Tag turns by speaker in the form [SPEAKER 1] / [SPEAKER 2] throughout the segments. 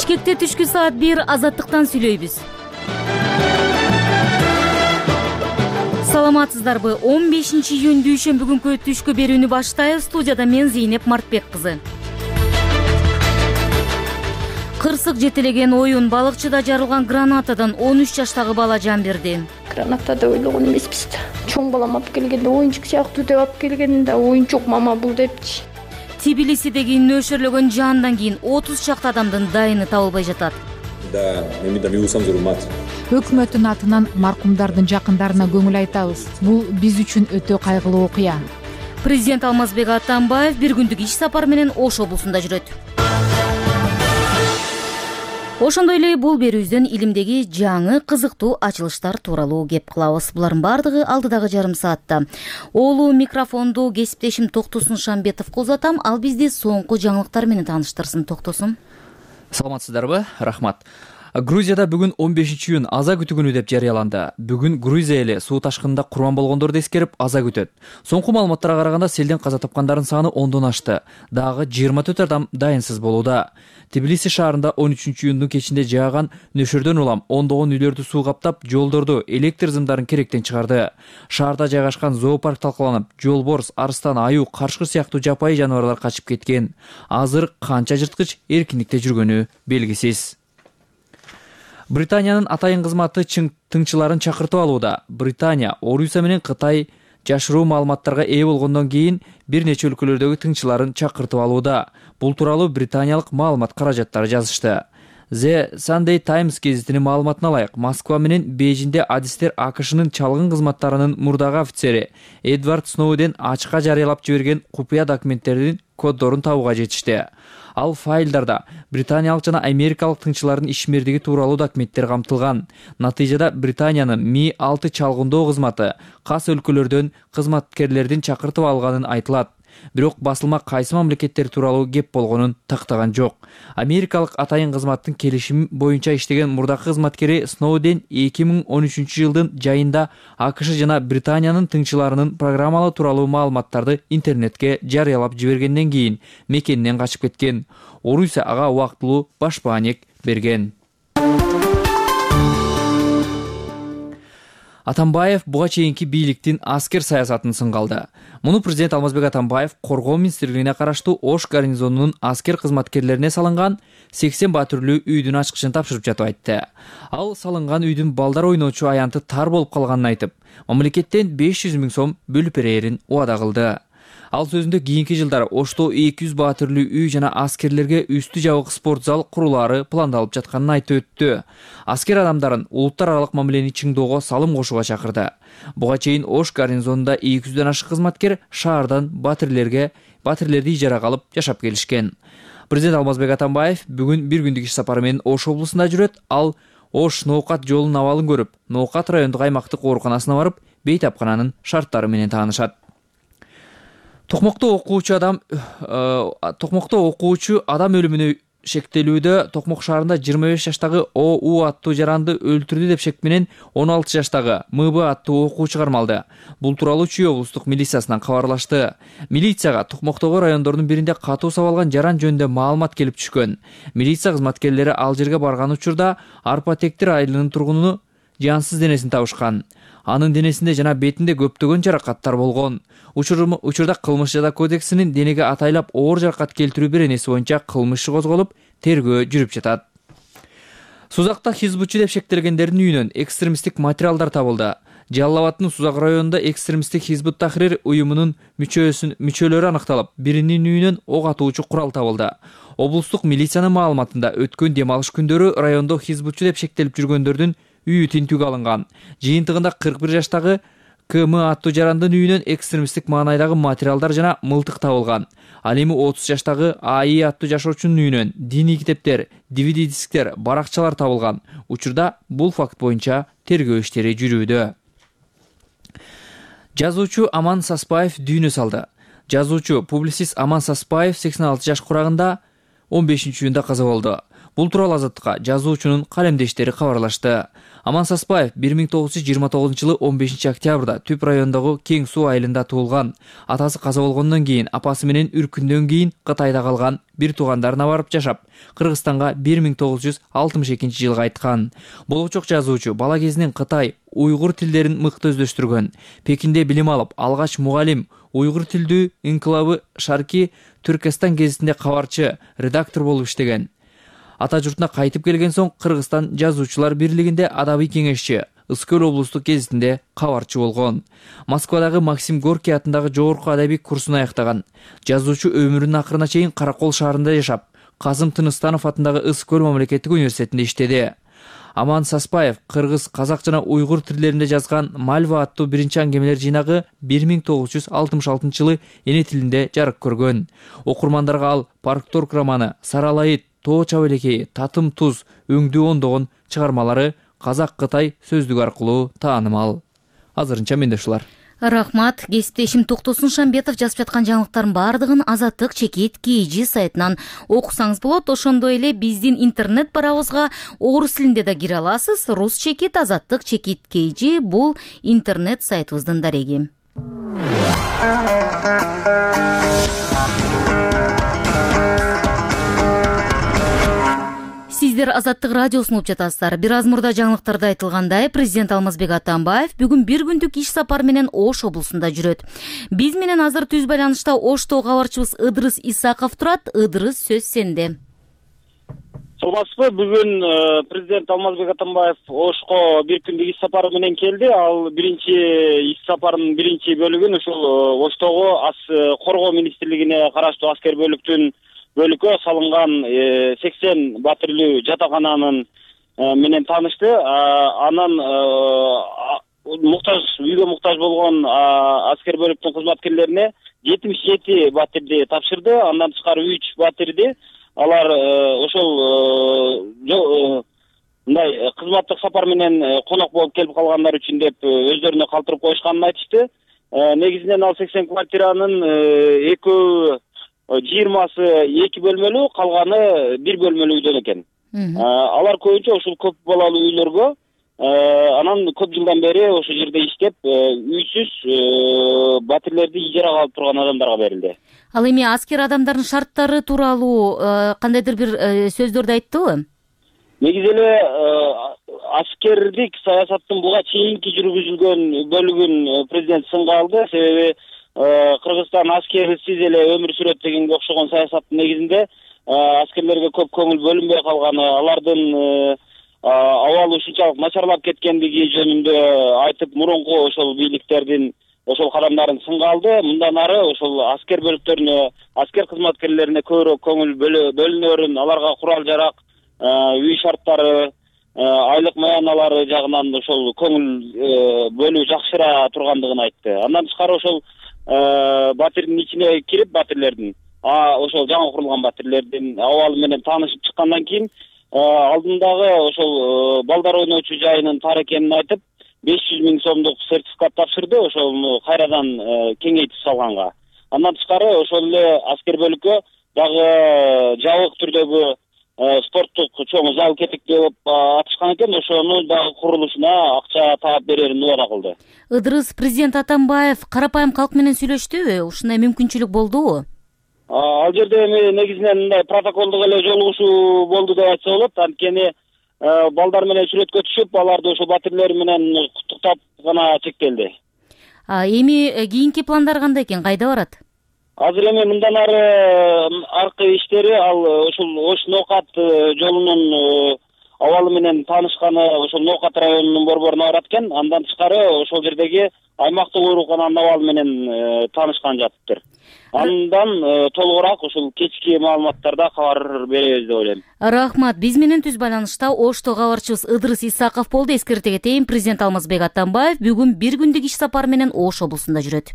[SPEAKER 1] Бишкекте түшкү саат 1 азаттыктан сүйлөйбүз. Саламатсыздарбы? 15-июнь дүйшөмбү күнкү түшкү берүүнү баштайбыз. Студияда мен Зейнеп Мартбек кызы. Кырсык жетелеген оюн балыкчыда жарылган гранатадан 13 жаштагы бала жан берди.
[SPEAKER 2] Граната деп ойлогон эмеспиз да. Чоң балам алып келгенде оюнчук сыяктуу деп алып келгенде оюнчук мама бул депчи.
[SPEAKER 1] Тбилисидеги нөшөрлөгөн жандан кийин 30 чакты адамдын дайыны табылбай жатат.
[SPEAKER 3] Өкмөттүн атынан маркумдардын жакындарына көңүл айтабыз. Бул биз үчүн өтө кайгылуу окуя.
[SPEAKER 1] Президент Алмазбек Атамбаев бир күндүк иш сапар менен Ош облусунда жүрөт. Ошондой эле бул берүүбүздөн илимдеги жаңы кызыктуу ачылыштар тууралуу кеп кылабыз. Булардын бардыгы алдыдагы жарым саатта. Олуу микрофонду кесиптешим Токтосун Шамбетовго узатам. Ал бизди соңку жаңылыктар менен тааныштырсын. Токтосун.
[SPEAKER 4] Саламатсыздарбы? Рахмат. Грузияда бүгүн 15-июнь аза күтүү күнү деп жарыяланды. Бүгүн Грузия эли суу ташкынында курман болгондорду эскерип аза күтөт. Соңку маалыматтарга караганда селден каза тапкандардын саны 10дон ашты. Дагы 24 адам дайынсыз болууда. Тбилиси шаарында 13-июндун кечинде жааган нөшөрдөн улам ондогон үйлөрдү суу каптап, жолдорду, электр зымдарын керектен чыгарды. Шаарда жайгашкан зоопарк талкаланып, жолборс, арстан, аюу, карышкы сыяктуу жапайы жаныбарлар качып кеткен. Азыр канча жырткыч эркиндикте жүргөнү белгисиз. Британиянын атайын кызматы тыңчыларын чакыртып алууда. Британия Орусия менен Кытай жашыруу маалыматтарга ээ болгондон кийин бир нече өлкөлөрдөгү тыңчыларын чакыртып алууда. Бул тууралуу британиялык маалымат каражаттары жазышты. The Sunday Times гезитинин маалыматына ылайык, Москва менен Бейжиңде адистер АКШнын чалгын кызматтарынын мурдагы офицери Эдвард Сноуден ачыкка жарыялап жиберген купуя документтердин коддорун табууга жетишти. Ал файлдарда британиялык жана америкалык тыңчылардын ишмердиги тууралуу документтер камтылган. Натыйжада Британиянын Ми-6 чалгындоо кызматы кас өлкөлөрдөн кызматкерлердин чакыртып алганын айтылат. Бирок басылма кайсы мамлекеттер тууралуу кеп болгонун тактаган жок. Америкалык атайын кызматтын келишими боюнча иштеген мурдакы кызматкери Сноуден 2013-жылдын жайында АКШ жана Британиянын тыңчыларынын программалары тууралуу маалыматтарды интернетке жарыялап жибергенден кийин мекенинен качып кеткен. Орусия ага убактылуу башпаанек берген. Атамбаев буга чейинки бийликтин аскер саясатын сынгалды. Муну президент Алмазбек Атамбаев коргоо министрлигине караштуу Ош гарнизонунун аскер кызматкерлерине салынган 80 батүрлүү үйдүн ачкычын тапшырып жатып айтты. Ал салынган үйдүн балдар ойночу аянты тар болуп калганын айтып, мамлекеттен 500 000 сом бөлүп берерин убада кылды. Ал сөзүндө кийинки жылдары Ошто 200 батүрлүү үй жана аскерлерге үстү жабык спорт зал курулары пландалып жатканын айтып өттү. Аскер адамдарын улуттар аралык мамилени чыңдоого салым кошууга чакырды. Буга чейин Ош гарнизонунда 200дөн ашык кызматкер шаардан батирлерди ижарага алып жашап келишкен. Президент Алмазбек Атамбаев бүгүн бир күндүк иш сапары менен Ош облусунда жүрөт. Ал Ош Ноокат жолунун абалын көрүп, Ноокат райондук аймактык ооруканасына барып, бейтапкананын шарттары менен таанышат. Токмокто окуучу адам өлүмүнө шектелүүдө Токмок шаарында 25 жаштагы ОУ аттуу жаранды өлтүрдү деп шек менен 16 жаштагы МБ аттуу окуучу кармалды. Бул тууралуу Чүй облустук милициясынан кабарлашты. Милицияга Токмоктогу райондордун биринде катуу сабалган жаран жөнүндө маалымат келип түшкөн. Милиция кызматкерлери ал жерге барган учурда Арпа Тектир айылынын тургунуну жансыз денесин табышкан. Анын денесинде жана бетинде көптөгөн жаракаттар болгон. Учурда кылмыш жаза кодексинин денеге атайлап оор жаракат келтирүү беренеси боюнча кылмыш иши козголуп, тергөө жүрүп жатат. Сузакта хизбутчу деп шектелгендердин үйүнөн экстремисттик материалдар табылды. Жалал Абадтын Сузак районунда экстремисттик Хизбут Тахрир уюмунун мүчөлөрү аныкталып, биринин үйүнөн ок атуучу курал табылды. Облустук милициянын маалыматында өткөн дем алыш күндөрү райондо хизбутчу деп шектелип жүргөндөрдүн үйү тинтүүгө алынган. Жыйынтыгында 41 жаштагы КМ аттуу жарандын үйүнөн экстремисттик маанайдагы материалдар жана мылтык табылган. Ал эми 30 жаштагы АИ аттуу жашоочунун үйүнөн диний китептер, DVD дисктер, баракчалар табылган. Учурда бул факт боюнча тергөө иштери жүрүүдө. Жазуучу Аман Саспаев дүйнө салды. Жазуучу, публицист Аман Саспаев 86 жаш курагында 15-июнда каза болду. Бул тууралуу Азаттыкка жазуучунун калемдештери кабарлашты. Аман Саспаев 1929-жылы 15-октябрда Түп районундагы Кең Суу айылында туулган. Атасы каза болгондон кийин апасы менен үркүндөн кийин Кытайда калган, бир туугандарына барып жашап, Кыргызстанга 1962-жылы кайткан. Болочок жазуучу бала кезинен Кытай, уйгур тилдерин мыкты өздөштүргөн. Пекинде билим алып, алгач мугалим, уйгур тилдүү инкылабы Шарки Түркестан гезитинде кабарчы, редактор болуп иштеген. Ата журтуна кайтып келген соң Кыргызстан жазуучулар бирлигинде адабий кеңешчи, Ыскөл облустук гезитинде кабарчы болгон. Москвадагы Максим Горький атындагы жогорку адабий курсун аяктаган. Жазуучу өмүрүнүн акырына чейин Каракол шаарында жашап, Казым Тыныстанов атындагы Ыскөл мамлекеттик университетинде иштеди. Аман Саспаев кыргыз, казак жана уйгур тилдеринде жазган Мальва аттуу биринчи аңгемелер жыйнагы 1966-жылы эне тилинде жарык көргөн. Окурмандарга ал Паркторг романы, Саралайыт, Тоо Чабылекей, Татым Туз, Өңдүү ондогон чыгармалары казак-кытай сөздүгү аркылуу таанымал. Азырынча менде ушулар.
[SPEAKER 1] Рахмат. Кесиптешим Токтосун Шамбетов жазып жаткан жаңылыктардын бардыгын Азаттык чекит KG сайтынан окусаңыз болот. Ошондой эле биздин интернет барабызга орус тилинде да кире аласыз. Рус чекит, Азаттык чекит KG бул интернет сайтыбыздын дареги. Сиздер Азаттык радиосун угуп жатасыздар. Бир аз мурда жаңылыктарда айтылгандай, президент Алмазбек Атамбаев бүгүн бир күндүк иш сапар менен Ош облусунда жүрөт. Биз менен азыр түз байланышта Ошто кабарчыбыз Ыдырыс Исаков турат. Ыдырыс, сөз сенде.
[SPEAKER 5] Саламатсызбы? Бүгүн президент Алмазбек Атамбаев Ошко бир күндүк иш сапары менен келди. Ал биринчи иш сапарынын биринчи бөлүгүн ушул Оштогу коргоо министрлигине караштуу аскер бөлүккө салынган 80 батирлүү жатакананын менен таанышты. Анан үйгө муктаж болгон аскер бөлүктүн кызматкерлерине 77 батирди тапшырды. Андан тышкары 3 батирди алар ошол мындай кызматтык сапар менен конок болуп келип калгандар үчүн деп өздөрүнө калтырып коюшканын айтышты. Негизинен ал 80 квартиранын 20-сы 2 бөлмөлүү, калганы 1 бөлмөлүү үйдөн экен. Алар көбүнчө ушул көп балалуу үйлөргө, анан көп жылдан бери ошол жерде иштеп, үйсүз батирлерди ижарага алып турган адамдарга берилди.
[SPEAKER 1] Ал эми аскер адамдардын шарттары тууралуу кандайдыр бир сөздөрдү айттыбы?
[SPEAKER 5] Негизи эле аскердик саясаттын буга чейинки жүргүзүлгөн бөлүгүн президент сынга алды. Себеби Кыргызстан аскерсиз эле өмүр сүрөт дегенге окшогон саясаттын негизинде аскерлерге көп көңүл бөлүнбөй калганы, алардын абалы ушунчалык начарлап кеткендиги жөнүндө айтып, мурунку ошол бийликтердин ошол кадамдарын сынга алды. Мындан ары ошол аскер бөлүктөрүнө, аскер кызматкерлерине көбүрөөк көңүл бөлүнөрүн, аларга курал-жарак, үй шарттары, айлык маяналары жагынан ошол көңүл бөлүү жакшыра тургандыгын айтты. Андан тышкары ошол батирдин ичине кирип, батирлердин, ошол жаңы курулган батирлердин абалы менен таанышып чыккандан кийин алдындагы ошол балдар ойночу жайынын тар экенин айтып, 500 000 сомдук сертификат тапшырды, ошону кайрадан кеңейтип салганга. Андан тышкары ошол эле аскер бөлүккө дагы жабык түрдөгү спорттук чоң зал керек деп атышкан экен, ошонун дагы курулушуна акча таап берерин убада кылды.
[SPEAKER 1] Ыдырыс, президент Атамбаев карапайым калк менен сүйлөштүбү? Ушундай мүмкүнчүлүк болдубу?
[SPEAKER 5] Ал жерде эми негизинен мындай протоколдук эле жолугушуу болду деп айтса болот. Анткени балдар менен сүрөткө түшүп, аларды ошол батирлер менен куттуктап гана чектелди.
[SPEAKER 1] Эми кийинки пландар кандай экен? Кайда барат?
[SPEAKER 5] Азыр эми мындан аркы иштери ал ошол Ош Ноокат жолунун абалы менен таанышканы ошол Ноокат районунун борборуна барат экен. Андан тышкары ошол жердеги аймактык оорукананын абалы менен таанышкан жатыптыр. Андан толугураак ошол кечки маалыматтарда кабар беребиз деп ойлойм.
[SPEAKER 1] Рахмат. Биз менен түз байланышта Ошто кабарчыбыз Ыдырыс Исаков болду. Эскерте кетейин, президент Алмазбек Атамбаев бүгүн бир күндүк иш сапар менен Ош облусунда жүрөт.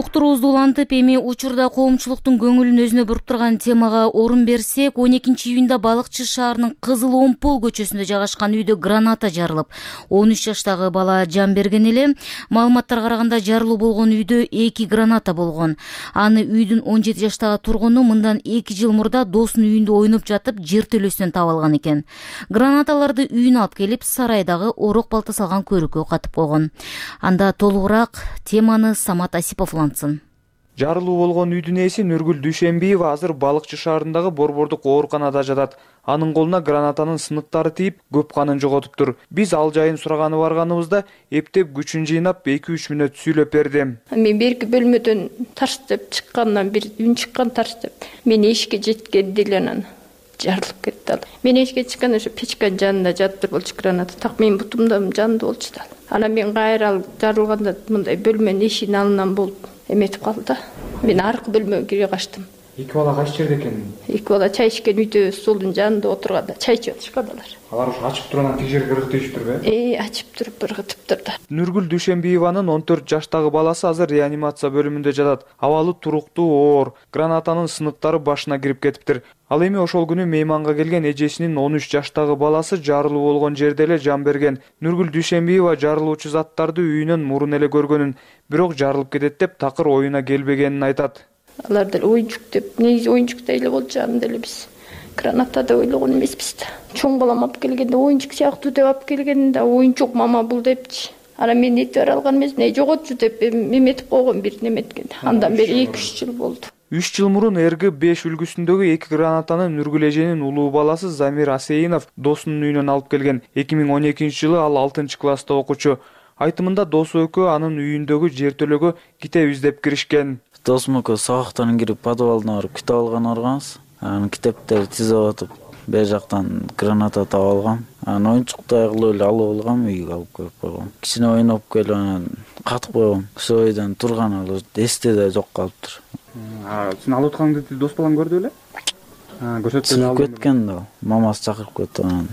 [SPEAKER 1] уктуруубузду улантып, эми учурда коомчулуктун көңүлүн өзүнө буруп турган темага орун берсек, 12-июнда Балыкчы шаарынын Кызыл Омпол көчөсүндө жайгашкан үйдө граната жарылып, 13 жаштагы бала жан берген эле. Маалыматтарга караганда, жарылуу болгон үйдө 2 граната болгон. Аны үйдүн 17 жаштагы тургуну мындан 2 жыл мурда досунун үйүндө ойноп жатып, жертөлөсүнөн таап алган экен. Гранаталарды үйүнө алып келип, сарайдагы орок балта салган көрүккө катып койгон. Анда толугураак теманы Самат Асипов улантсын.
[SPEAKER 6] Жарылуу болгон үйдүн ээси Нургүл Дүйшенбиева азыр Балыкчы шаарындагы борбордук ооруканада жатат. Анын колуна гранатанын сыныктары тийип, көп канын жоготуптур. Биз ал жайын сураганы барганыбызда эптеп күчүн жыйнап 2-3 мүнөт сүйлөп берди.
[SPEAKER 2] Мен берки бөлмөдөн тарс деп чыккандан бир үн чыккан тарс деп. Мен эшикке жеткенде эле анан жарылып кетти. Мен эшикке чыкканда ошо печканын жанында жатып болчу граната. Так менин бутумда жанды болчу да. Анан мен кайра жарылганда мындай бөлмөнүн эшигинин алдынан болуп эметип калды да. Мен аркы бөлмөгө кире качтым.
[SPEAKER 6] Эки бала кайсы жерде экен?
[SPEAKER 2] Эки бала чай ичкен үйдө столдун жанында отурганда чай ичип атышкан алар.
[SPEAKER 6] Алар ушу ачып турган тиги жерге ыргытышыптырбы?
[SPEAKER 2] Ачып туруп ыргытыптыр да.
[SPEAKER 6] Нургүл Дүйшенбиеванын 14 жаштагы баласы азыр реанимация бөлүмүндө жатат. Абалы туруктуу, оор. Гранатанын сыныктары башына кирип кетиптир. Ал эми ошол күнү мейманга келген эжесинин 13 жаштагы баласы жарылуу болгон жерде эле жан берген. Нургүл Дүйшенбиева жарылуучу заттарды үйүнөн мурун эле көргөнүн, бирок жарылып кетет деп такыр оюна келбегенин айтат.
[SPEAKER 2] Алар деле оюнчук деп, негизи оюнчуктай эле болчу, аны деле биз граната деп ойлогон эмеспиз да. Чоң балам алып келгенде оюнчук сыяктуу деп алып келген да, оюнчук мама бул депчи. Анан мен этип бара алган эмесмин, жоготчу деп эметип койгон бир неметкенде. Андан бери 2-3 жыл болду.
[SPEAKER 6] 3 жыл мурун РГ-5 үлгүсүндөгү 2 гранатаны Нургүл эженин улуу баласы Замир Асейинов досунун үйүнөн алып келген. 2012-жылы ал 6-класста окучу. Айтымында досу экөө анын үйүндөгү жертөлөгө китеп издеп киришкен.
[SPEAKER 7] Досум экөө сабактан кирип подвалына барып китеп алган арганбыз. Анын китептерди тизип атып, бер жактан граната таап алгам. Анан оюнчуктай кылып эле алып алгам, үйгө алып келип койгом. Кичине ойноп келип анан катып койгом. Ошол бойдон турган ал эсте да жок калыптыр.
[SPEAKER 6] Сен алып атканыңды дос балаң көрдү беле?
[SPEAKER 7] Көрсөтүп кеткен да. Мамасы чакырып кетти анан.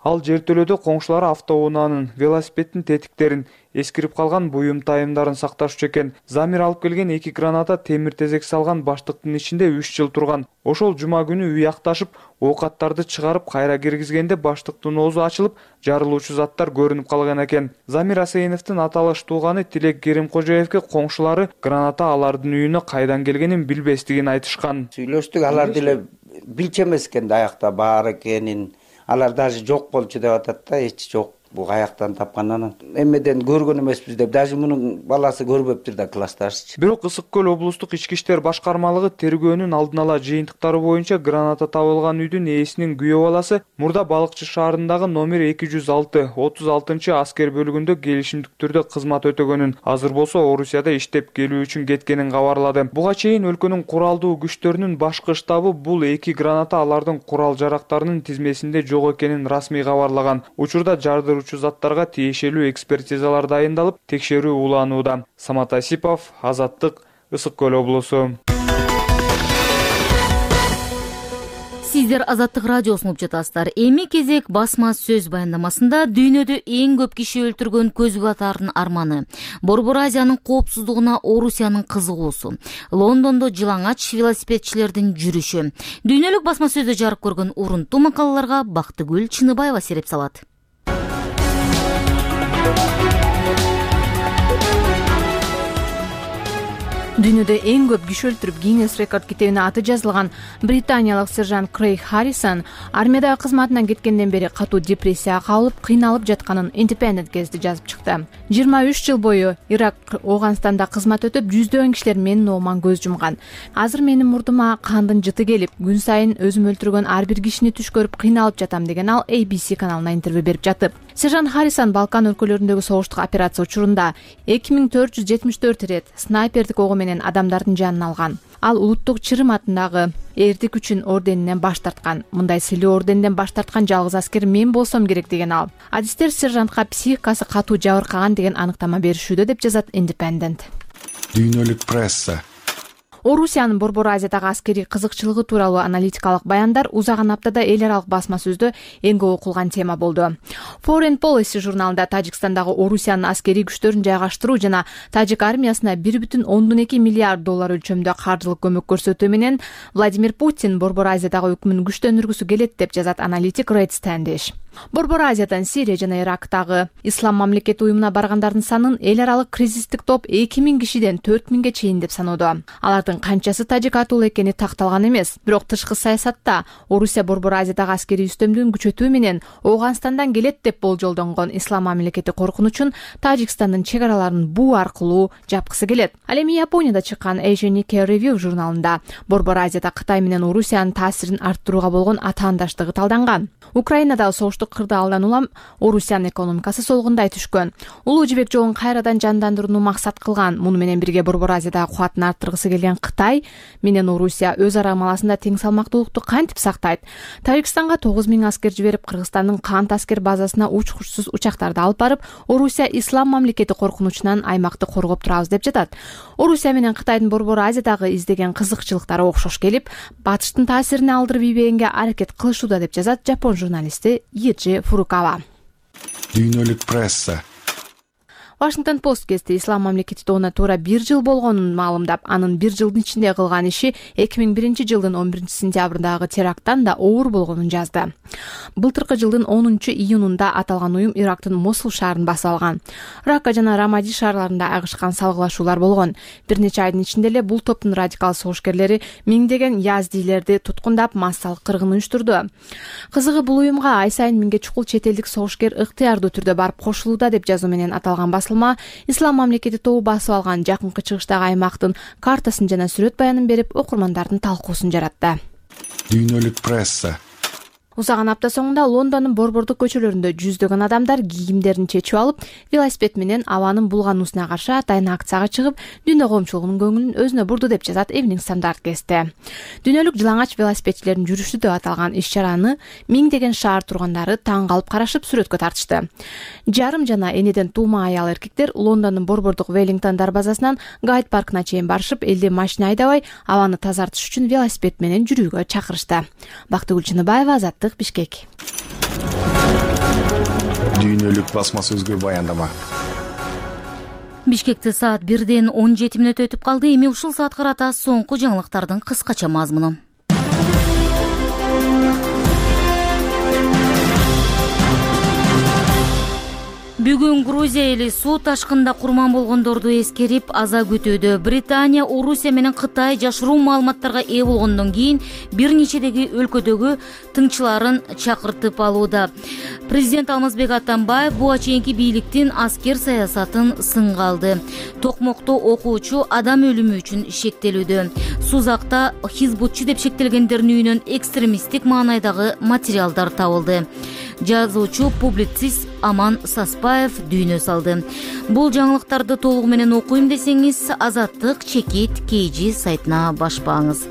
[SPEAKER 6] Ал жертөлөдө коңшулары автоунаанын, велосипеддин тетиктерин, эскирип калган буюм тайымдарын сакташчу экен. Замир алып келген 2 граната темир тезек салган баштыктын ичинде 3 жыл турган. Ошол жума күнү үй акташып, оокаттарды чыгарып кайра киргизгенде баштыктын оозу ачылып, жарылуучу заттар көрүнүп калган экен. Замир Асейиновдун аталыш тууганы Тилек Керимкожоевке коңшулары граната алардын үйүнө кайдан келгенин билбестигин айтышкан.
[SPEAKER 8] Сүйлөштүк, алар деле билчү эмес экен аяқта бар экенин. Алар даже жок болчу деп атат да, эч жок. Бу каяктан тапкандан эмеден көргөн эмеспиз деп, даже мунун баласы көрбөптүр да классташчы.
[SPEAKER 6] Бирок Ысык көл облустук ички иштер башкармалыгы тергөөнүн алдын ала жыйынтыктары боюнча граната табылган үйдүн ээсинин күйөө баласы мурда Балыкчы шаарындагы номер 206 36 аскер бөлүгүндө келишимдик түрдө кызмат өтөгөнүн, азыр болсо Орусияда иштеп келүү үчүн кеткенин кабарлады. Буга чейин өлкөнүн куралдуу күчтөрүнүн башкы штабы бул 2 граната алардын курал жарактарынын тизмесинде жок экенин расмий кабарлаган. Учурда жардыруучу заттарга тиешелүү экспертизалар дайындалып, текшерүү уланууда. Самат Асипов, Азаттык, Ысык көл облусу.
[SPEAKER 1] Сиздер Азаттык радиосун угуп жатасыздар. Эми кезек басма сөз баяндамасында дүйнөдө эң көп киши өлтүргөн көз катардын арманы, Борбор Азиянын коопсуздугуна Орусиянын кызыгуусу, Лондондо жылаңач велосипедчилердин жүрүшү. Дүйнөлүк басма сөздө жарык көргөн урунттуу макалаларга Бактыгүл Чыныбаева сереп салат. Дүйнөдө эң көп киши өлтүрүп Гиннес рекорд китебине аты жазылган британиялык сержант Крейг Харрисон армиядагы кызматынан кеткенден бери катуу депрессияга кабылып, кыйналып жатканын Independent гезити жазып чыкты. 23 жыл бою Ирак, Ооганстанда кызмат өтүп, жүздөгөн кишилер менин ооман көз жумган. Азыр менин мурдума кандын жыты келип, күн сайын өзүм өлтүргөн ар бир кишини түш көрүп кыйналып жатам деген ал ABC каналына интервью берип жатып. Сержант Харрисон Балкан өлкөлөрүндөгү согуштук операция учурунда 2474 ирет снайпердик ого менен адамдардын жанын алган. Ал улуттук чырым атындагы эрдик үчүн орденинен баш тарткан. Мындай сыйлуу орденден баш тарткан жалгыз аскер мен болсом керек деген ал. Адистер сержантка психикасы катуу жабыркаган деген аныктама беришүүдө деп жазат Independent.
[SPEAKER 9] Дүйнөлүк пресса.
[SPEAKER 3] Орусиянын Борбор Азиядагы аскерий кызыкчылыгы тууралуу аналитикалык баяндар узаган аптада эл аралык басма сөздө эң көп окулган тема болду. Foreign Policy журналында Тажикстандагы Орусиянын аскерий күчтөрүн жайгаштыруу жана тажик армиясына 1,2 миллиард доллар өлчөмдө каржылык көмөк көрсөтүү менен Владимир Путин Борбор Азиядагы өкмүн күчтөндүргүсү келет деп жазат аналитик Red Standish. Борбор Азиядан Сирия жана Ирактагы Ислам мамлекети уюмуна баргандардын санын эл аралык кризистик топ 2000 кишиден 4000ге чейин деп саноодо. Алардын канчасы тажик атуулуу экени такталган эмес. Бирок тышкы саясатта Орусия Борбор Азиядагы аскерий үстөмдүгүн күчөтүү менен Ооганстандан келет деп болжолдонгон Ислам мамлекети коркунучун Тажикстандын чек араларын буу аркылуу жапкысы келет. Ал эми Японияда чыккан Asian Nikkei Review журналында Борбор Азияда Кытай менен Орусиянын таасирин арттырууга болгон атаандаштыгы талданган. Украинадагы согуштук кырда алдан улам Орусиянын экономикасы солгундай түшкөн. Улуу жибек жолун кайрадан жандандырууну максат кылган. Муну менен бирге Борбор Азиядагы кубатын арттыргысы келген Кытай менен Орусия өз ара маласында тең салмактуулукту кантип сактайт? Тажикстанга 9000 аскер жиберип, Кыргызстандын Кант аскер базасына учкучсуз учактарды алып барып, Орусия Ислам мамлекети коркунучунан аймакты коргоп турабыз деп жатат. Орусия менен Кытайдын Борбор Азиядагы издеген кызыкчылыктары окшош келип, батыштын таасирине алдырып ийбегенге аракет кылышууда деп жазат жапон журналисти Йиджи Фурукава.
[SPEAKER 9] Дүйнөлүк пресса.
[SPEAKER 3] Washington Post гезити Ислам мамлекети тууна туура 1 жыл болгонун маалымдап, анын 1 жылдын ичинде кылган иши 2001 жылдын 11 сентябрындагы теракттан да оор болгонун жазды. Былтыркы жылдын 10 июнунда аталган уюм Ирактын Мосул шаарын басып алган. Ракка жана Рамади шаарларында агышкан салгылашуулар болгон. Бир нече айдын ичинде эле бул топтун радикал согушкерлери миңдеген яздилерди туткундап, массалык кыргын уюштурду. Кызыгы бул уюмга ай сайын миңге чукул чет элдик согушкер ыктыярдуу түрдө барып кошулууда деп жазуу менен аталган басылма Ислам мамлекети тобу басып алган жакынкы чыгыштагы аймактын картасын жана сүрөт баянын берип, окурмандардын талкуусун жаратты.
[SPEAKER 9] Дүйнөлүк пресса.
[SPEAKER 3] Узаган апта соңунда Лондондун борбордук көчөлөрүндө жүздөгөн адамдар кийимдерин чечип алып, велосипед менен абанын булгануусуна каршы атайын акцияга чыгып, дүйнө коомчулугунун көңүлүн өзүнө бурду деп жазат Evening Standard гезити. Дүйнөлүк жылаңач велосипедчилердин жүрүшү деп аталган иш-чараны миңдеген шаар тургандары таң калып карашып сүрөткө тартышты. Жарым жана энеден туума аял эркектер Лондондун борбордук Веллингтон дарбазасынан Гайд паркына чейин барышып, элди машина айдабай, абаны тазартыш үчүн велосипед менен жүрүүгө чакырышты. Бактыгүл Чыныбаева, Азаттык, Бишкек.
[SPEAKER 9] Дүйнөлүк басма сөзгө баяндама.
[SPEAKER 1] Бишкекте саат 1-ден 17 мүнөт өтүп калды. Эми ушул саат карата соңку жаңылыктардын кыскача мазмуну. Бүгүн Грузия эли суу ташкында курман болгондорду эскерип аза күтүүдө. Британия Орусия менен Кытай жашыруу маалыматтарга ээ болгондон кийин бир нечедеги өлкөдөгү тыңчыларын чакыртып алууда. Президент Алмазбек Атамбаев буга чейинки бийликтин аскер саясатын сынга алды. Токмокто окуучу адам өлүмү үчүн шектелүүдө. Сузакта хизбутчу деп шектелгендердин үйүнөн экстремисттик маанайдагы материалдар табылды. Жазуучу публицист Аман Саспаев дүйнө салды. Бул жаңылыктарды толугу менен окуйм десеңиз, Азаттык чекит KG сайтына башпаңыз.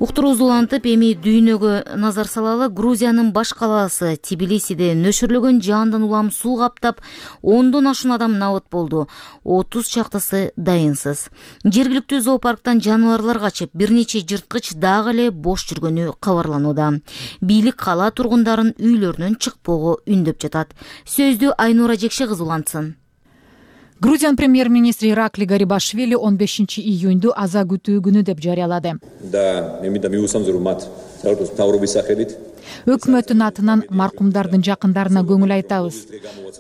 [SPEAKER 1] Уктурубузду улантып, эми дүйнөгө назар салалы. Грузиянын баш калаасы Тбилисиде нөшөрлөгөн жаандан улам суу каптап, 10дон ашуун адам набыт болду. 30 чактысы дайынсыз. Жергиликтүү зоопарктан жаныбарлар качып, бир нече жырткыч дагы эле бош жүргөнү кабарланууда. Бийлик кала тургундарын үйлөрүнөн чыкпоого үндөп жатат. Сөздү Айнура Жекше кызы улантсын.
[SPEAKER 3] Грузиянын премьер-министри Иракли Гарибашвили 15 июнду аза күтүү күнү деп жарыялады. Өкмөттүн атынан маркумдардын жакындарына көңүл айтабыз.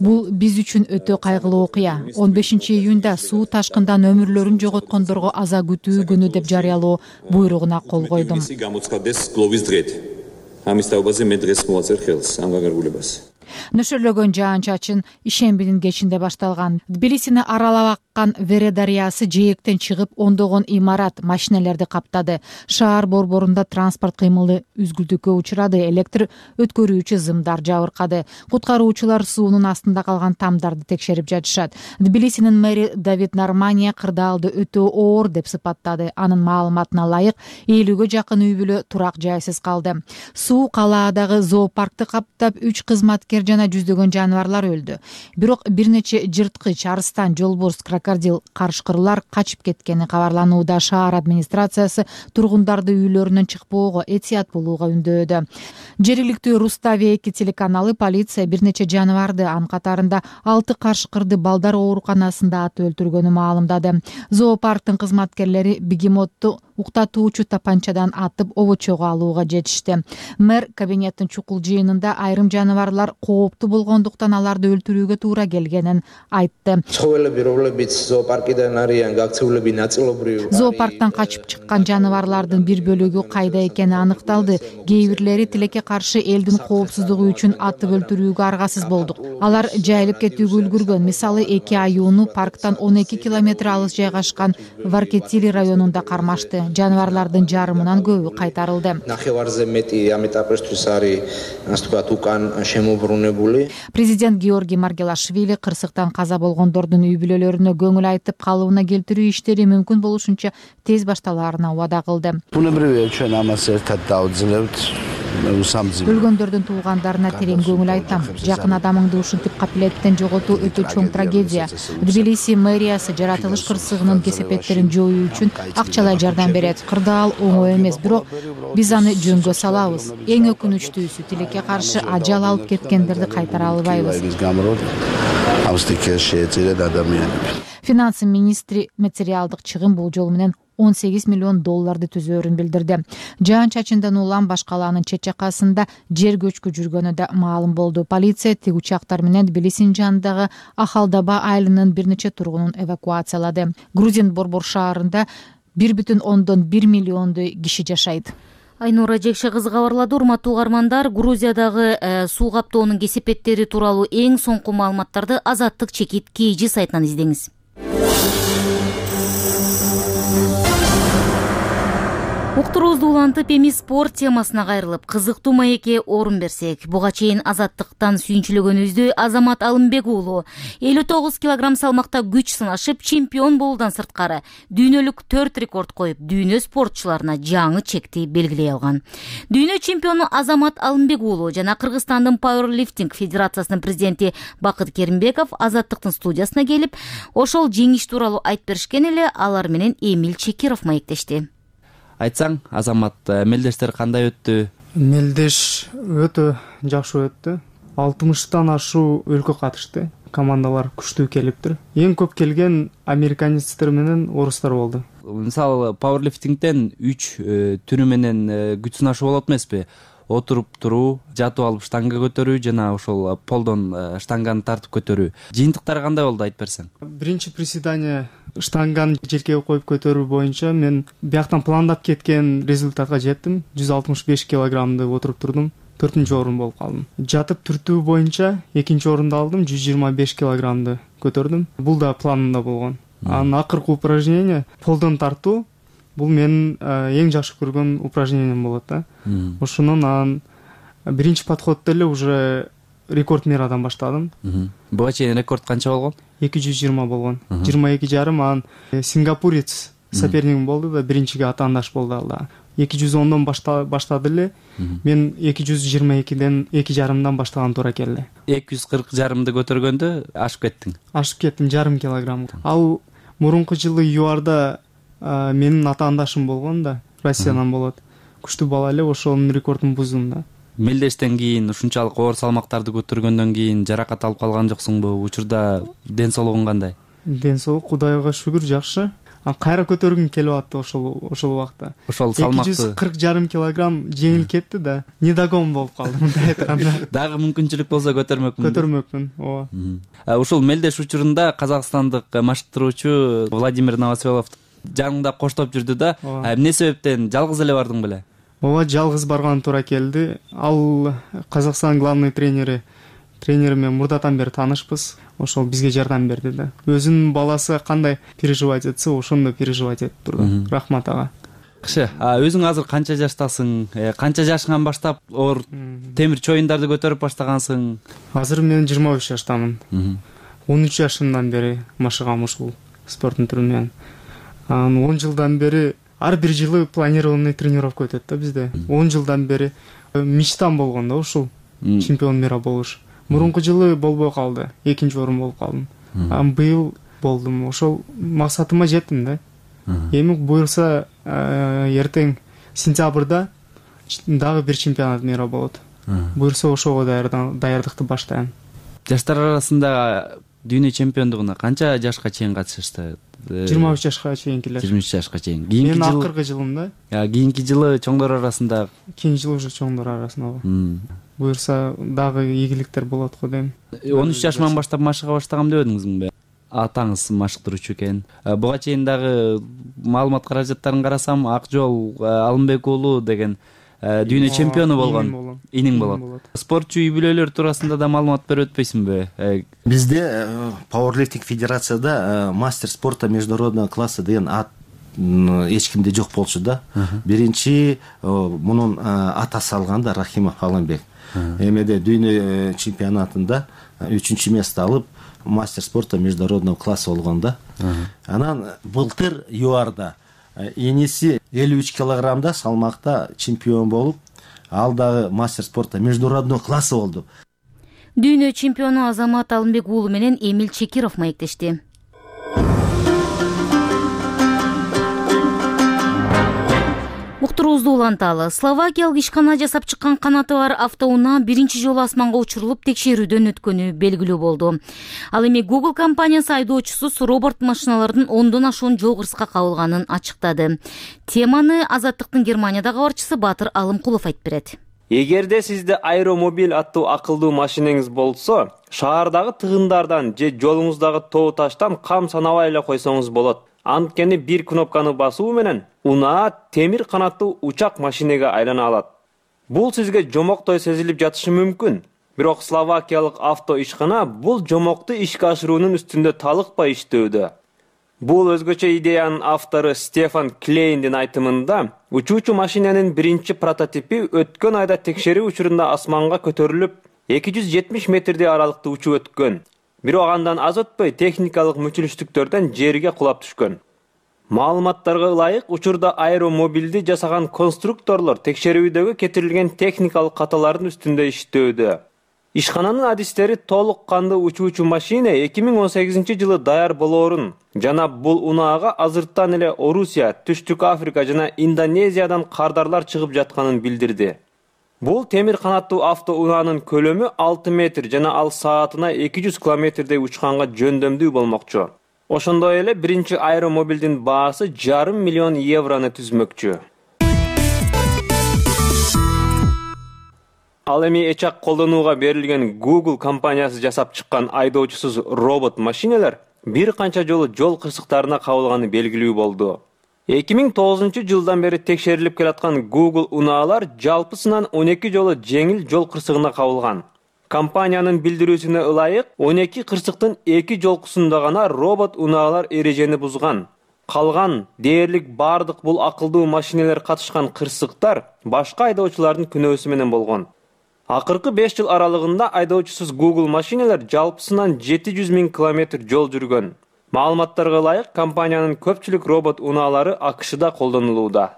[SPEAKER 3] Бул биз үчүн өтө кайгылуу окуя. 15 июнда суу ташкындан өмүрлөрүн жоготкондорго аза күтүү күнү деп жарыялоо буйругуна кол койдум. Нөшөрлөгөн жаан-чачын ишембинин кечинде башталган. Тбилисини аралап аккан Вере дарыясы жээктен чыгып, ондогон имарат, машиналерди каптады. Шаар борборунда транспорт кыймылы үзгүлтүккө учурады, электр өткөрүүчү зымдар жабыркады. Куткаруучулар суунун астында калган тамдарды текшерип жатышат. Тбилисинин мэри Давид Нармания кырдаалды өтө оор деп сыпаттады. Анын маалыматына ылайык 50-гө жакын үй бүлө турак жайсыз калды. Суу калаадагы зоопаркты каптап, 3 кызматкер жана жүздөгөн жаныбарлар өлдү. Бирок бир нече жырткыч, арыстан, жолборс, крокодил, карышкырлар качып кеткени кабарланууда. Шаар администрациясы тургундарды үйлөрүнөн чыкпоого, этият болууга үндөөдө. Жергиликтүү Руставия-2 телеканалы полиция бир нече жаныбарды, анын катарында 6 карышкырды балдар ооруканасында атып өлтүргөнүн маалымдады. Зоопарктын кызматкерлери бегемотту уктатуучу тапанчадан атып обочого алууга жетишти. Мэр кабинеттин чукул жыйынында айрым жаныбарлар кооптуу болгондуктан аларды өлтүрүүгө туура келгенин айтты. Зоопарктан качып чыккан жаныбарлардын бир бөлүгү кайда экени аныкталды. Кээ бирлери тилекке каршы элдин коопсуздугу үчүн атып өлтүрүүгө аргасыз болдук. Алар жайылып кетүүгө үлгүргөн. Мисалы, 2 аюуну парктан 12 километр алыс жайгашкан Варкетили районунда кармашты. Жаныбарлардын жарымынан көбү кайтарылды. Президент Георгий Маргелашвили кырсыктан каза болгондордун үй бүлөлөрүнө көңүл айтып, калыбына келтирүү иштери мүмкүн болушунча тез башталаарына убада кылды. Өлгөндөрдүн туугандарына терең көңүл айтам. Жакын адамыңды ушинтип капилеттен жоготуу өтө чоң трагедия. Тбилиси мэриясы жаратылыш кырсыгынын кесепеттерин жоюу үчүн акчалай жардам берет. Кырдаал оңой эмес, бирок биз аны жөнгө салабыз. Эң өкүнүчтүүсү, тилекке каршы ажал алып кеткендерди кайтара албайбыз. Финанс министри материалдык чыгым болжол менен $18 миллион түзөөрүн билдирди. Жаан-чачындан улам баш калаанын чет жакасында жер көчкү жүргөнү да маалым болду. Полиция тик учактар менен Тбилисинин жанындагы Ахалдаба айылынын бир нече тургунун эвакуациялады. Грузин Борбор шаарында 1,1 миллиондой киши жашайт.
[SPEAKER 1] Айнура Жекше кызы кабарлады. Урматтуу угармандар, Грузиядагы суу каптоонун кесепеттери тууралуу эң соңку маалыматтарды Азаттык чекит KG сайтынан издеңиз. Уктуруубузду улантып, эми спорт темасына кайрылып, кызыктуу маекке орун берсек. Буга чейин Азаттыктан сүйүнчүлөгөнүбүздү Азамат Алымбек уулу 59 килограмм салмакта күч сынашып, чемпион болуудан сырткары дүйнөлүк 4 рекорд коюп, дүйнө спортчуларына жаңы чекти белгилей алган. Дүйнө чемпиону Азамат Алымбек уулу жана Кыргызстандын Powerlifting Федерациясынын президенти Бакыт Керимбеков Азаттыктын студиясына келип, ошол жеңиш тууралуу айтып беришкен эле. Алар менен Эмил Чекиров маектешти.
[SPEAKER 4] Айтсаң, Азамат, мелдештер кандай өттү?
[SPEAKER 10] Мелдеш өтө жакшы өттү. 60тан ашуу өлкө катышты. Командалар күчтүү келиптир. Эң көп келген американецтер менен орустар болду.
[SPEAKER 4] Мисалы, пауэрлифтингден 3 түрү менен күч сынашуу болот эмеспи? Отуруп туруу, жатып алып штанга көтөрүү жана ошол полдон штанганы тартып көтөрүү. Жыйынтыктары кандай болду, айтып берсең?
[SPEAKER 10] Биринчи приседание штанганы желкеге коюп көтөрүү боюнча мен бияктан пландап кеткен результатка жеттим. 165 килограммды отуруп турдум. 4-орун болуп калдым. Жатып түртүү боюнча 2-орунду алдым, 125 килограммды көтөрдүм. Бул да планымда болгон. Анын акыркы упражнение полдон тартуу. Бул менин эң жакшы көргөн упражнением болот да. Ошонун анан биринчи подходдо эле уже рекорд мирадан баштадым.
[SPEAKER 4] Буга чейин рекорд канча болгон?
[SPEAKER 10] 220 болгон. 22,5 анан сингапурец сопернигим болду да, биринчиге атаандаш болду ал да. 210дон баштады эле. Мен 222ден 2,5дан баштаган туура келди.
[SPEAKER 4] 240 жарымды көтөргөндө ашып кеттиң.
[SPEAKER 10] Ашып кеттим 0,5 килограмм. Ал мурунку жылы ЮАРда менин атаандашым болгон да, Россиянан болот. Күчтүү бала эле, ошонун рекордун буздум да.
[SPEAKER 4] Мелдештен кийин, ушунчалык оор салмактарды көтөргөндөн кийин жаракат алып калган жоксуңбу? Учурда ден соолугуң кандай?
[SPEAKER 10] Ден соолук Кудайга шүгүр жакшы. Кайра көтөргүм келип атты ошол убакта.
[SPEAKER 4] Ошол салмакты
[SPEAKER 10] 240,5 килограмм жеңил кетти да, недогон болуп калдым мындай айтканда.
[SPEAKER 4] Дагы мүмкүнчүлүк болсо көтөрмөкмүн.
[SPEAKER 10] Көтөрмөкмүн, ооба.
[SPEAKER 4] Ушул мелдеш учурунда казакстандык машыктыруучу Владимир Новоселов жаныңда коштоп жүрдү да. Эмне себептен жалгыз эле бардың беле?
[SPEAKER 10] Ооба, жалгыз барган туура келди. Ал Казакстан главный тренери мен мурдатан бери таанышпыз. Ошол бизге жардам берди да. Өзүнүн баласы кандай переживать этсе, ошондой переживать этип турду. Рахмат ага.
[SPEAKER 4] Кышы, өзүң азыр канча жаштасың? Канча жашыңан баштап оор темир чоюндарды көтөрүп баштагансың?
[SPEAKER 10] Азыр мен 25 жаштамын. 13 жашымдан бери машыгам ушул спорттун түрү менен. 10 жылдан бери ар бир жылы планированный тренировка өтөт да бизде. 10 жылдан бери мечтам болгон да ушул чемпион мира болуш. Мурунку жылы болбой калды, 2-орун болуп калдым. Быйыл болдум. Ошол максатыма жеттим да. Эми буюрса эртең сентябрда дагы бир чемпионат мира болот. Буюрса ошого даярдыкты баштайм.
[SPEAKER 11] Жаштар арасында дүйнө чемпиондугуна канча жашка чейин катышышты?
[SPEAKER 10] 23 жашка чейинкилер.
[SPEAKER 11] 23 жашка чейин.
[SPEAKER 10] Мен акыркы жылымда.
[SPEAKER 11] Кийинки жылы чоңдор арасында.
[SPEAKER 10] Кийинки жылы уже чоңдор арасында. Буюрса дагы ийгиликтер болот го дейм.
[SPEAKER 11] 13 жашыман баштап машыга баштагам дебедиңизби? Атаңыз машыктыруучу экен. Буга чейин дагы маалымат каражаттарын карасам, Акжол Алымбек уулу деген дүйнө чемпиону болгон. Иниң болот. Спортчу үй бүлөлөр туурасында да маалымат берип өтпөйсүңбү?
[SPEAKER 12] Бизде Powerlifting федерацияда мастер спорта международного класса деген ат эч кимде жок болчу да. Биринчи мунун атасы алган да, Рахимов Алымбек. Эмеде дүйнө чемпионатында 3-место алып, мастер спорта международного класса болгон да. Анан былтыр ЮАРда эниси 53 килограммда салмакта чемпион болуп, ал дагы мастер спорта международного класса болду.
[SPEAKER 1] Дүйнө чемпиону Азамат Алымбек уулу менен Эмил Чекиров маектешти. Уктуруубузду уланталы. Словакиялык ишкана жасап чыккан канаты бар автоунаа биринчи жолу асманга учурулуп текшерүүдөн өткөнү белгилүү болду. Ал эми Google компаниясы айдоочусуз робот машиналардын 10дон ашуун жол кырсыкка кабылганын ачыктады. Теманы Азаттыктын Германиядагы кабарчысы Батыр Алымкулов айтып берет.
[SPEAKER 13] Эгерде сизде аэромобиль аттуу акылдуу машинеңиз болсо, шаардагы тыгындардан же жолуңуздагы тоо таштан кам санабай эле койсоңуз болот. Анткени бир кнопканы басуу менен унаа темир канаттуу учак машинеге айлана алат. Бул сизге жомоктой сезилип жатышы мүмкүн. Бирок словакиялык авто ишкана бул жомокту ишке ашыруунун үстүндө талыкпай иштөөдө. Бул өзгөчө идеянын автору Стефан Клейндин айтымында, учуучу машинанын биринчи прототипи өткөн айда текшерүү учурунда асманга көтөрүлүп, 270 метрдей аралыкты учуп өткөн. Бирок андан аз өтпөй техникалык мүчүлүштүктөрдөн жерге кулап түшкөн. Маалыматтарга ылайык, учурда аэромобилди жасаган конструкторлор текшерүүдөгү кетирилген техникалык каталардын үстүндө иштөөдө. Ишкананын адистери толук кандуу учуучу машина 2018 жылы даяр болоорун жана бул унаага азырттан эле Орусия, Түштүк Африка жана Индонезиядан кардарлар чыгып жатканын билдирди. Бул темир канаттуу автоунаанын көлөмү 6 метр жана ал саатына 200 километрдей учканга жөндөмдүү болмокчу. Ошондой эле биринчи аэромобилдин баасы 5,5 миллион еврону түзмөкчү. Ал эми эчак колдонууга берилген Google компаниясы жасап чыккан айдоочусуз робот машиналар бир канча жолу жол кырсыктарына кабылганы белгилүү болду. 2009 жылдан бери текшерилип келаткан Google унаалар жалпысынан 12 жолу жеңил жол кырсыгына кабылган. Компаниянын билдирүүсүнө ылайык, 12 кырсыктын 2 жолкусунда гана робот унаалар эрежени бузган. Калган дээрлик бардык бул акылдуу машиналар катышкан кырсыктар башка айдоочулардын күнөөсү менен болгон. Акыркы 5 жыл аралыгында айдоочусуз Google машиналар жалпысынан 700 000 километр жол жүргөн. Маалыматтарга ылайык, компаниянын көпчүлүк робот унаалары АКШда колдонулууда.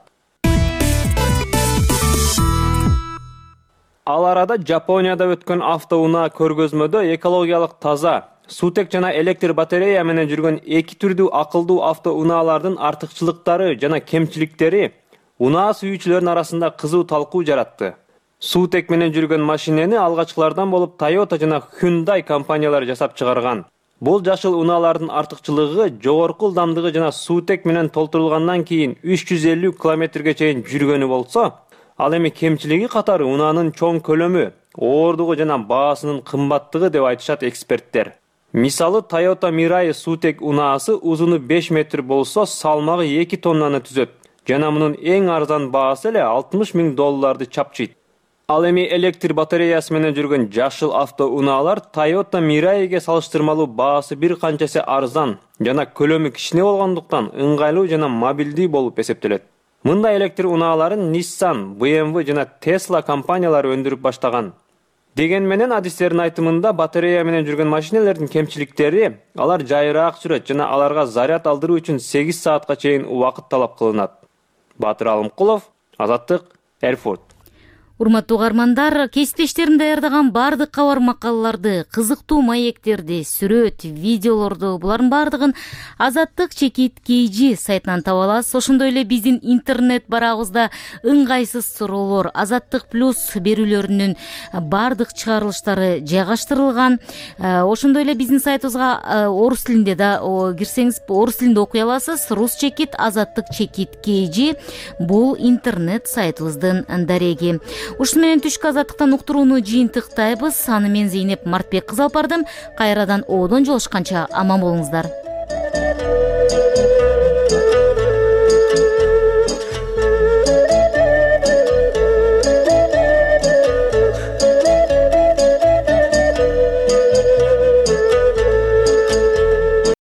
[SPEAKER 13] Ал арада Жапонияда өткөн автоунаа көргөзмөдө экологиялык таза, суутек жана электр батарея менен жүргөн эки түрдүү акылдуу автоунаалардын артыкчылыктары жана кемчиликтери унаа сүйүүчүлөрдүн арасында кызуу талкуу жаратты. Суутек менен жүргөн машинени алгачкылардан болуп Toyota жана Hyundai компаниялары жасап чыгарган. Бул жашыл унаалардын артыкчылыгы жогорку ылдамдыгы жана суутек менен толтурулгандан кийин 350 километрге чейин жүргөнү болсо, ал эми кемчилиги катары унаанын чоң көлөмү, ооругу жана баасынын кымбаттыгы деп айтышат эксперттер. Мисалы Toyota Mirai суутек унаасы узуну 5 метр болсо, салмагы 2 тоннаны түзөт. Жана мунун эң арзан баасы эле $60 000 чапчыйт. Ал эми электр батареясы менен жүргөн жашыл автоунаалар Toyota Mirai'ге салыштырмалуу баасы бир канчасы арзан жана көлөмү кичине болгондуктан ыңгайлуу жана мобилдүү болуп эсептелет. Мындай электр унааларын Nissan, BMW жана Tesla компаниялары өндүрүп баштаган. Деген менен адистердин айтымында батарея менен жүргөн машиналардын кемчиликтери алар жайыраак жүрөт жана аларга заряд алдыруу үчүн 8 саатка чейин убакыт талап кылынат. Батыр Алымкулов, Азаттык, Эрфурт.
[SPEAKER 1] Урматтуу угармандар, кесиптештерим даярдаган бардык кабар макалаларды, кызыктуу маектерди, сүрөт, видеолорду булардын бардыгын Азаттык чекит KG сайтынан таба аласыз. Ошондой эле биздин интернет барагыбызда ыңгайсыз суроолор, Азаттык плюс берүүлөрүнүн бардык чыгарылыштары жайгаштырылган. Ошондой эле биздин сайтыбызга орус тилинде да кирсеңиз орус тилинде окуй аласыз. Рус чекит, Азаттык чекит KG бул интернет сайтыбыздын дареги. Ушуну менен түшкү азаттыктан уктурууну жыйынтыктайбыз. Аны мен Зейнеп Мартбек кызы алып бардым. Кайрадан одон жолушканча аман болуңуздар.